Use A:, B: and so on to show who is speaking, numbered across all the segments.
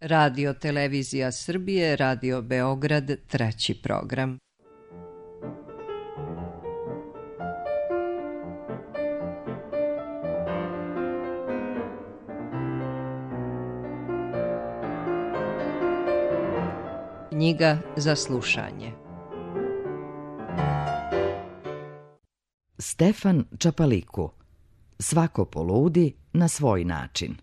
A: Radio Televizija Srbije, Radio Beograd, 3. program. Knjiga za slušanje.
B: Stefan Čapaliku. Svako poludi na svoj način.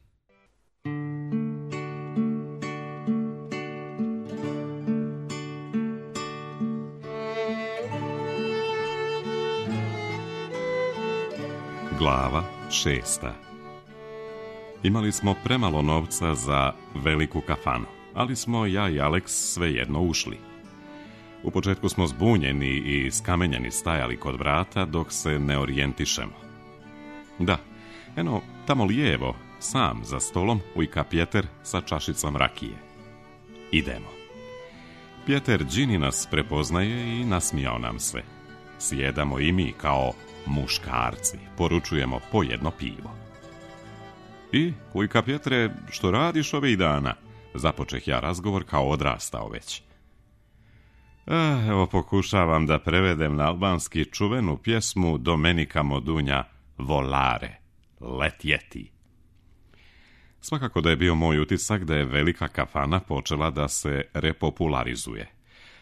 C: Glava 6. Imali smo premalo novca za veliku kafanu, ali smo ja i Aleks svejedno ušli. U početku smo zbunjeni i skamenjeni stajali kod vrata dok se ne orijentišemo. Da, eno, tamo lijevo, sam za stolom, ujka Pjeter sa čašicom rakije. Idemo. Pjeter Đini nas prepoznaje i nasmijao nam se. Sjedamo i mi kao muškarci, poručujemo po jedno pivo. I, ujka Pjetre, što radiš ovih dana? Započeh ja razgovor kao odrastao već. Evo pokušavam da prevedem na albanski čuvenu pjesmu Domenika Modunja Volare, letjeti. Svakako da je bio moj utisak da je velika kafana počela da se repopularizuje.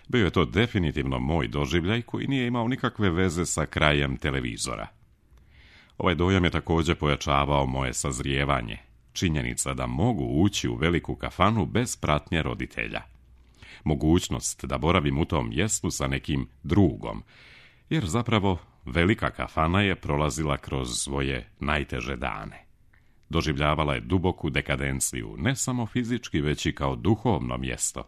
C: Bio je to definitivno moj doživljaj koji nije imao nikakve veze sa krajem televizora. Ovaj dojam je također pojačavao moje sazrijevanje. Činjenica da mogu ući u veliku kafanu bez pratnje roditelja. Mogućnost da boravim u tom mjestu sa nekim drugom, jer zapravo velika kafana je prolazila kroz svoje najteže dane. Doživljavala je duboku dekadenciju, ne samo fizički, već i kao duhovno mjesto.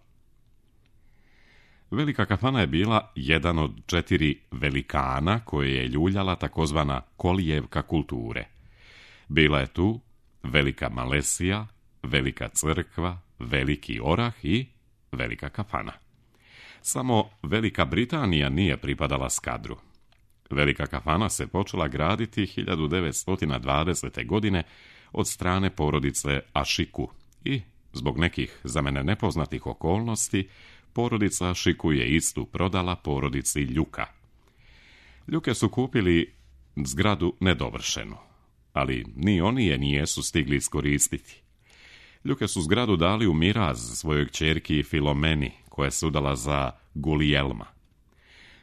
C: Velika kafana je bila jedan od 4 velikana koje je ljuljala takozvana kolijevka kulture. Bila je tu Velika Malesija, Velika crkva, Veliki orah i Velika kafana. Samo Velika Britanija nije pripadala Skadru. Velika kafana se počela graditi 1920. godine od strane porodice Ašiku i, zbog nekih za mene nepoznatih okolnosti, porodica Ašiku je istu prodala porodici Ljuka. Ljuke su kupili zgradu nedovršenu, ali ni oni je nijesu stigli iskoristiti. Ljuke su zgradu dali u miraz svojoj kćerki Filomeni, koja se udala za Gulijelma.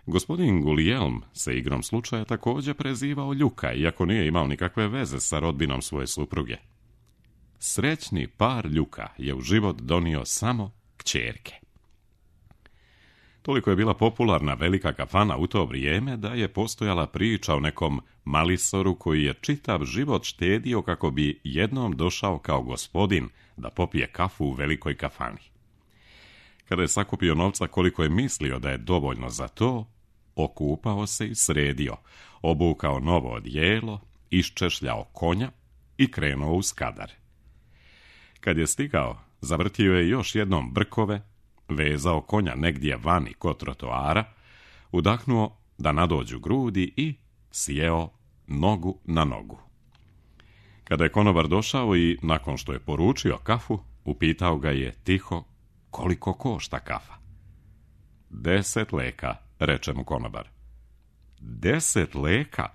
C: Gospodin Gulijelm se igrom slučaja također prezivao Ljuka, iako nije imao nikakve veze sa rodbinom svoje supruge. Srećni par Ljuka je u život donio samo kćerke. Toliko je bila popularna velika kafana u to vrijeme da je postojala priča o nekom malisoru koji je čitav život štedio kako bi jednom došao kao gospodin da popije kafu u velikoj kafani. Kada je sakupio novca koliko je mislio da je dovoljno za to, okupao se i sredio, obukao novo odijelo, iščešljao konja i krenuo u Skadar. Kad je stigao, zavrtio je još jednom brkove, vezao konja negdje vani kod trotoara, udahnuo da nadođu grudi i sjeo nogu na nogu. Kada je konobar došao i, nakon što je poručio kafu, upitao ga je tiho koliko košta kafa. 10 leka, reče mu konobar. 10 leka?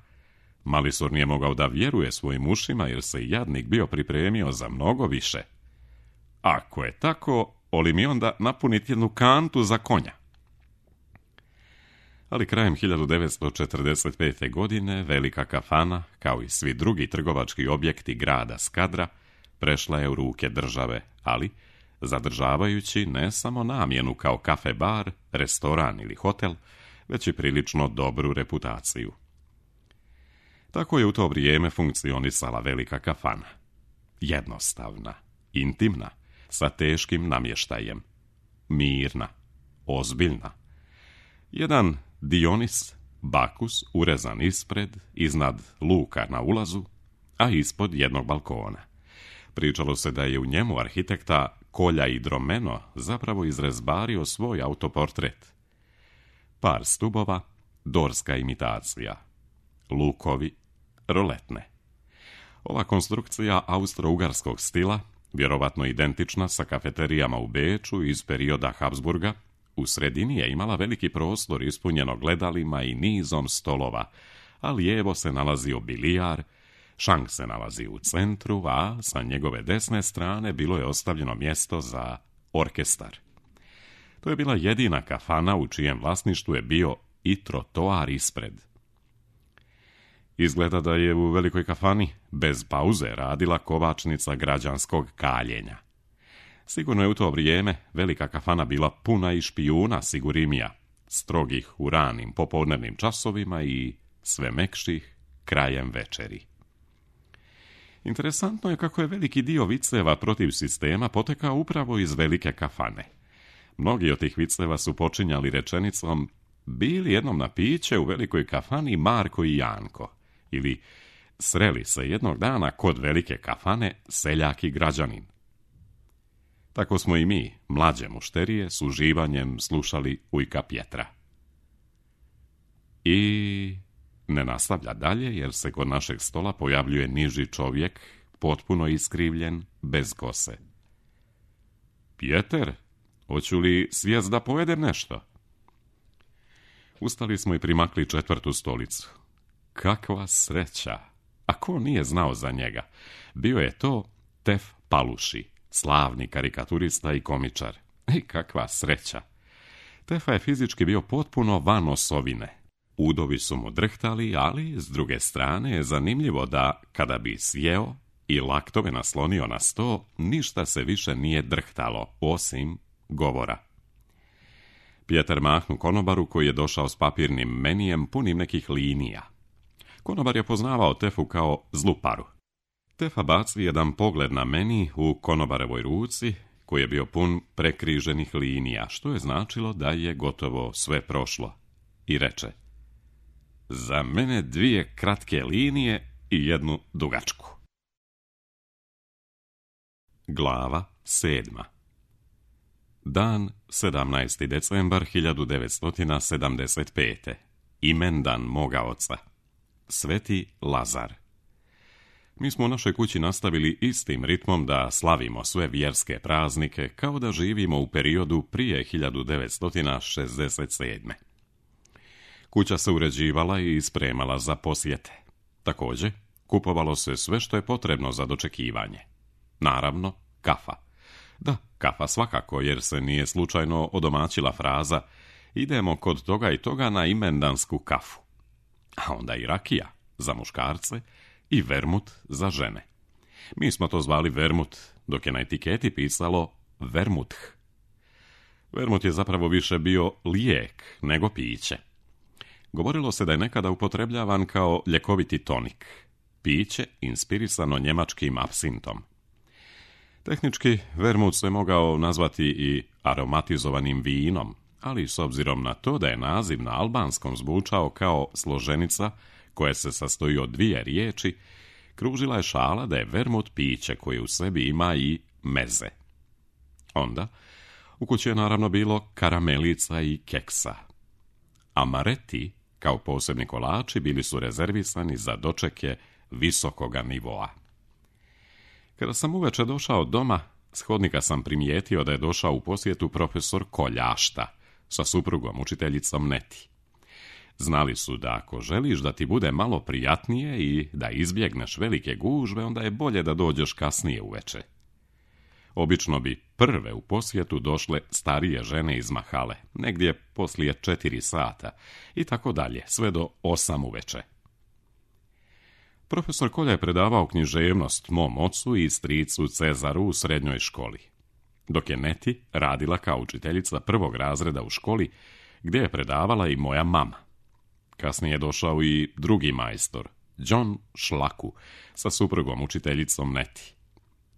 C: Malisor nije mogao da vjeruje svojim ušima jer se jadnik bio pripremio za mnogo više. Ako je tako, oli mi onda napuniti jednu kantu za konja. Ali krajem 1945. godine velika kafana, kao i svi drugi trgovački objekti grada Skadra, prešla je u ruke države, ali zadržavajući ne samo namjenu kao kafe bar, restoran ili hotel, već i prilično dobru reputaciju. Tako je u to vrijeme funkcionisala velika kafana. Jednostavna, intimna, sa teškim namještajem. Mirna, ozbiljna. Jedan Dionis, bakus, urezan ispred, iznad luka na ulazu, a ispod jednog balkona. Pričalo se da je u njemu arhitekta Kolja i Dromeno zapravo izrezbario svoj autoportret. Par stubova, dorska imitacija. Lukovi, roletne. Ova konstrukcija austro-ugarskog stila vjerovatno identična sa kafeterijama u Beču iz perioda Habsburga, u sredini je imala veliki prostor ispunjeno gledalima i nizom stolova, a lijevo se nalazio bilijar, šank se nalazi u centru, a sa njegove desne strane bilo je ostavljeno mjesto za orkestar. To je bila jedina kafana u čijem vlasništvu je bio i trotoar ispred. Izgleda da je u velikoj kafani bez pauze radila kovačnica građanskog kaljenja. Sigurno je u to vrijeme velika kafana bila puna i špijuna sigurimija, strogih u ranim popodnevnim časovima i sve mekših krajem večeri. Interesantno je kako je veliki dio viceva protiv sistema potekao upravo iz velike kafane. Mnogi od tih viceva su počinjali rečenicom: bili jednom na piće u velikoj kafani Marko i Janko, ili sreli se jednog dana kod velike kafane seljak i građanin. Tako smo i mi, mlađe mušterije, s uživanjem slušali ujka Pjetra. I ne nastavlja dalje, jer se kod našeg stola pojavljuje niži čovjek, potpuno iskrivljen, bez kose. Pjeter, hoću li svijest da pojedem nešto? Ustali smo i primakli 4. stolicu. Kakva sreća! A ko nije znao za njega? Bio je to Tef Paluši, slavni karikaturista i komičar. I kakva sreća! Tefa je fizički bio potpuno van osovine. Udovi su mu drhtali, ali s druge strane je zanimljivo da, kada bi sjeo i laktove naslonio na sto, ništa se više nije drhtalo, osim govora. Pjeter mahnu konobaru koji je došao s papirnim menijem punim nekih linija. Konobar je poznavao Tefu kao zlu paru. Tefa baci jedan pogled na meni u konobarevoj ruci, koji je bio pun prekriženih linija, što je značilo da je gotovo sve prošlo. I reče: za mene 2 kratke linije i 1 dugačku. Glava 7. Dan 17. decembar 1975. Imendan moga oca. Sveti Lazar. Mi smo u našoj kući nastavili istim ritmom da slavimo sve vjerske praznike kao da živimo u periodu prije 1967. Kuća se uređivala i spremala za posjete. Također, kupovalo se sve što je potrebno za dočekivanje. Naravno, kafa. Da, kafa svakako, jer se nije slučajno odomaćila fraza: idemo kod toga i toga na imendansku kafu. A onda i rakija za muškarce i vermut za žene. Mi smo to zvali vermut, dok je na etiketi pisalo vermuth. Vermut je zapravo više bio lijek nego piće. Govorilo se da je nekada upotrebljavan kao ljekoviti tonik, piće inspirisano njemačkim apsintom. Tehnički, vermut se mogao nazvati i aromatizovanim vinom, ali s obzirom na to da je naziv na albanskom zvučao kao složenica koja se sastoji od 2 riječi, kružila je šala da je vermut piće koje u sebi ima i meze. Onda, u kući je naravno bilo karamelica i keksa. Amareti, kao posebni kolači, bili su rezervisani za dočeke visokoga nivoa. Kada sam uveče došao doma, s hodnika sam primijetio da je došao u posjetu profesor Koljašta sa suprugom, učiteljicom Neti. Znali su da ako želiš da ti bude malo prijatnije i da izbjegneš velike gužve, onda je bolje da dođeš kasnije uveče. Obično bi prve u posjetu došle starije žene iz mahale, negdje poslije 4 sata i tako dalje, sve do 8 uveče. Profesor Kolja je predavao književnost mom ocu i stricu Cezaru u srednjoj školi, dok je Neti radila kao učiteljica 1. razreda u školi, gdje je predavala i moja mama. Kasnije je došao i drugi majstor, John Šlaku, sa suprugom učiteljicom Neti.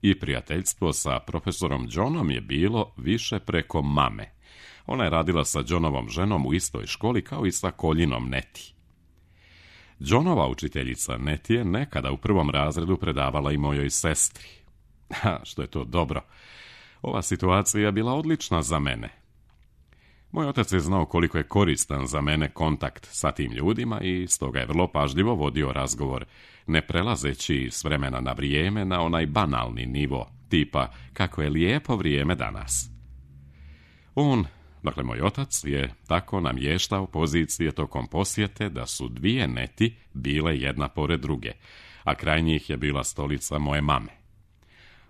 C: I prijateljstvo sa profesorom Johnom je bilo više preko mame. Ona je radila sa Johnovom ženom u istoj školi kao i sa Koljinom Neti. Johnova učiteljica Neti je nekada u 1. razredu predavala i mojoj sestri. Što je to dobro. Ova situacija je bila odlična za mene. Moj otac je znao koliko je koristan za mene kontakt sa tim ljudima i stoga je vrlo pažljivo vodio razgovor, ne prelazeći s vremena na vrijeme na onaj banalni nivo, tipa kako je lijepo vrijeme danas. On, dakle moj otac, je tako namještao pozicije tokom posjete da su dvije neti bile jedna pored druge, a kraj njih je bila stolica moje mame.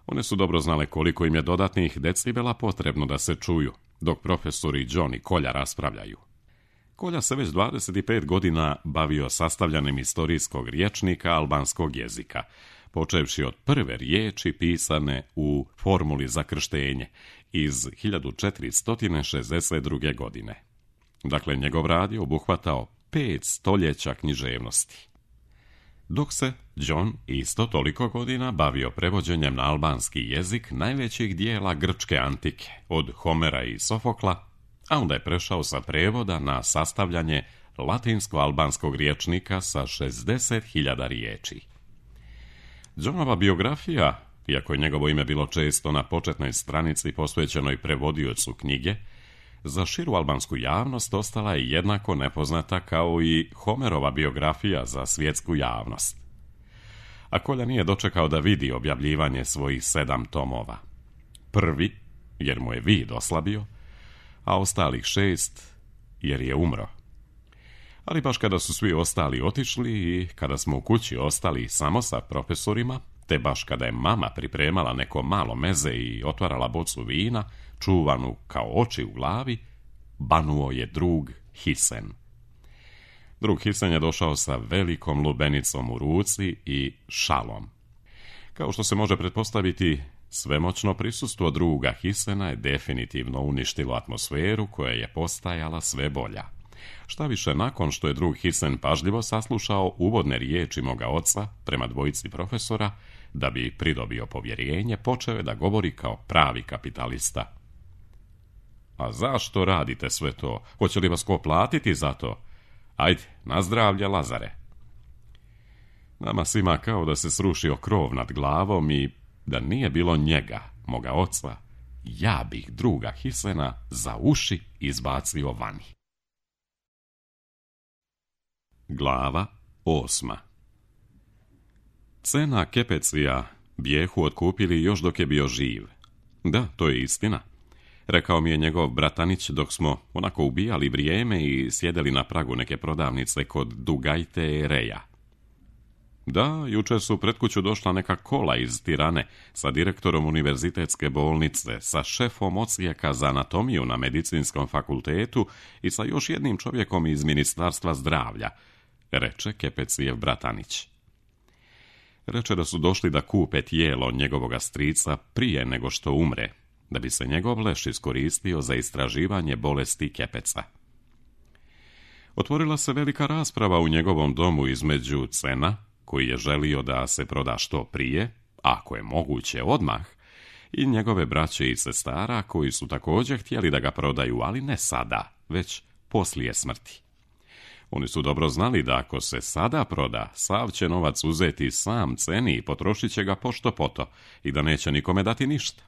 C: One su dobro znale koliko im je dodatnih decibela potrebno da se čuju, dok profesori John i Kolja raspravljaju. Kolja se već 25 godina bavio sastavljanjem istorijskog rječnika albanskog jezika, počevši od prve riječi pisane u formuli za krštenje iz 1462. godine. Dakle, njegov rad je obuhvatao 5 stoljeća književnosti. Dok se John isto toliko godina bavio prevođenjem na albanski jezik najvećih dijela grčke antike, od Homera i Sofokla, a onda je prešao sa prevoda na sastavljanje latinsko-albanskog rječnika sa 60.000 riječi. Johnova biografija, iako je njegovo ime bilo često na početnoj stranici posvećenoj prevodiocu knjige, za širu albansku javnost ostala je jednako nepoznata kao i Homerova biografija za svjetsku javnost. A Kolja nije dočekao da vidi objavljivanje svojih 7 tomova. Prvi, jer mu je vid oslabio, a ostalih 6, jer je umro. Ali baš kada su svi ostali otišli i kada smo u kući ostali samo sa profesorima, te baš kada je mama pripremala neko malo meze i otvarala bocu vina, čuvanu kao oči u glavi, banuo je drug Hisen. Drug Hisen je došao sa velikom lubenicom u ruci i šalom. Kao što se može pretpostaviti, svemoćno prisustvo druga Hisena je definitivno uništilo atmosferu koja je postajala sve bolja. Šta više, nakon što je drug Hisen pažljivo saslušao uvodne riječi moga oca prema dvojici profesora, da bi pridobio povjerenje, počeo je da govori kao pravi kapitalista. A zašto radite sve to? Hoće li vas ko platiti za to? Ajde, na zdravlje, Lazare. Nama svima kao da se srušio krov nad glavom i da nije bilo njega, moga oca, ja bih druga Hisena za uši izbacio vani. Glava 8. Cena Kepecija bijehu otkupili još dok je bio živ. Da, to je istina. Rekao mi je njegov bratanić dok smo onako ubijali vrijeme i sjedeli na pragu neke prodavnice kod Dugajte Reja. Da, jučer su pred kuću došla neka kola iz Tirane sa direktorom univerzitetske bolnice, sa šefom odsjeka za anatomiju na medicinskom fakultetu i sa još jednim čovjekom iz Ministarstva zdravlja, reče Kepecijev bratanić. Reče da su došli da kupe tijelo njegovoga strica prije nego što umre, da bi se njegov leš iskoristio za istraživanje bolesti Kepeca. Otvorila se velika rasprava u njegovom domu između Cena, koji je želio da se proda što prije, ako je moguće odmah, i njegove braće i sestara koji su također htjeli da ga prodaju, ali ne sada, već poslije smrti. Oni su dobro znali da ako se sada proda, sav će novac uzeti sam Ceni i potrošit će ga pošto poto i da neće nikome dati ništa.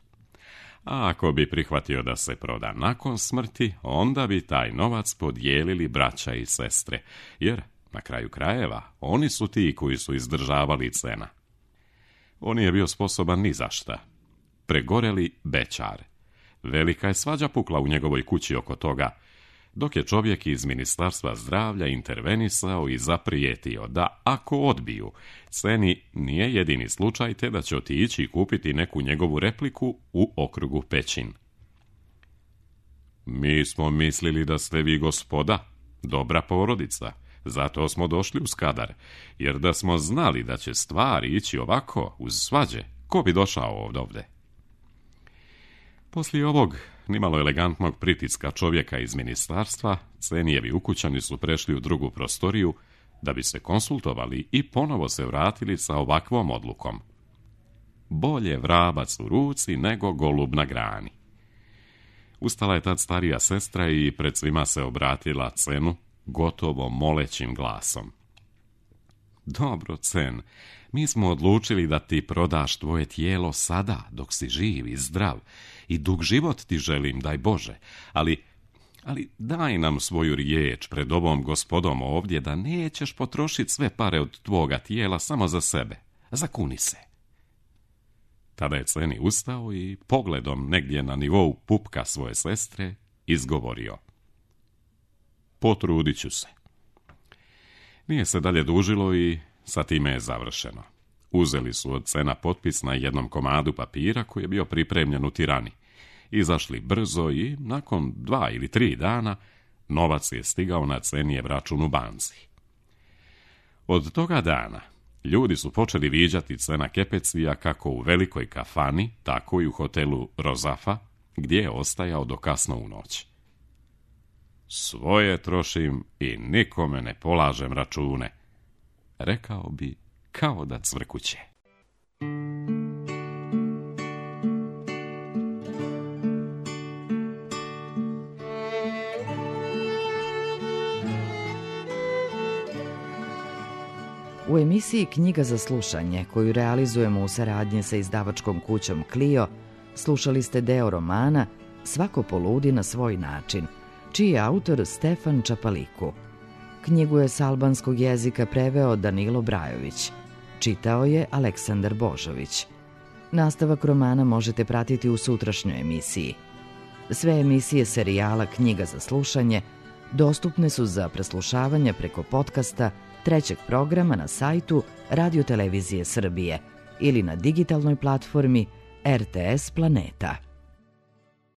C: A ako bi prihvatio da se proda nakon smrti, onda bi taj novac podijelili braća i sestre, jer na kraju krajeva oni su ti koji su izdržavali Cena. On nije bio sposoban ni za šta. Pregoreli bećar. Velika je svađa pukla u njegovoj kući oko toga, dok je čovjek iz Ministarstva zdravlja intervenisao i zaprijetio da ako odbiju, Ceni nije jedini slučaj te da će otići i kupiti neku njegovu repliku u okrugu Pećin. Mi smo mislili da ste vi gospoda, dobra porodica, zato smo došli u Skadar, jer da smo znali da će stvari ići ovako uz svađe, ko bi došao ovdje? Poslije ovog nimalo elegantnog pritiska čovjeka iz ministarstva, Cenijevi ukućani su prešli u drugu prostoriju da bi se konsultovali i ponovo se vratili sa ovakvom odlukom. Bolje vrabac u ruci nego golub na grani. Ustala je tad starija sestra i pred svima se obratila Cenu gotovo molećim glasom. Dobro, Cen, mi smo odlučili da ti prodaš tvoje tijelo sada, dok si živ i zdrav, i dug život ti želim, daj Bože, ali Ali daj nam svoju riječ pred ovom gospodom ovdje da nećeš potrošiti sve pare od tvoga tijela samo za sebe. Zakuni se. Tada je Ceni ustao i pogledom negdje na nivou pupka svoje sestre izgovorio: potrudit ću se. Nije se dalje dužilo i sa time je završeno. Uzeli su od Cena potpis na jednom komadu papira koji je bio pripremljen u Tirani. Izašli brzo i nakon 2 ili 3 dana novac je stigao na Cenijev račun u banci. Od toga dana ljudi su počeli viđati Cena Kepecvija kako u velikoj kafani, tako i u hotelu Rozafa, gdje je ostajao do kasno u noć. Svoje trošim i nikome ne polažem račune, rekao bi kao da cvrkuće.
B: U emisiji Knjiga za slušanje, koju realizujemo u saradnji sa izdavačkom kućom Clio, slušali ste deo romana Svako poludi na svoj način, čiji je autor Stefan Čapaliku. Knjigu je s albanskog jezika preveo Danilo Brajović. Čitao je Aleksandar Božović. Nastavak romana možete pratiti u sutrašnjoj emisiji. Sve emisije serijala Knjiga za slušanje dostupne su za preslušavanje preko podcasta trećeg programa na sajtu Radio Televizije Srbije ili na digitalnoj platformi RTS Planeta.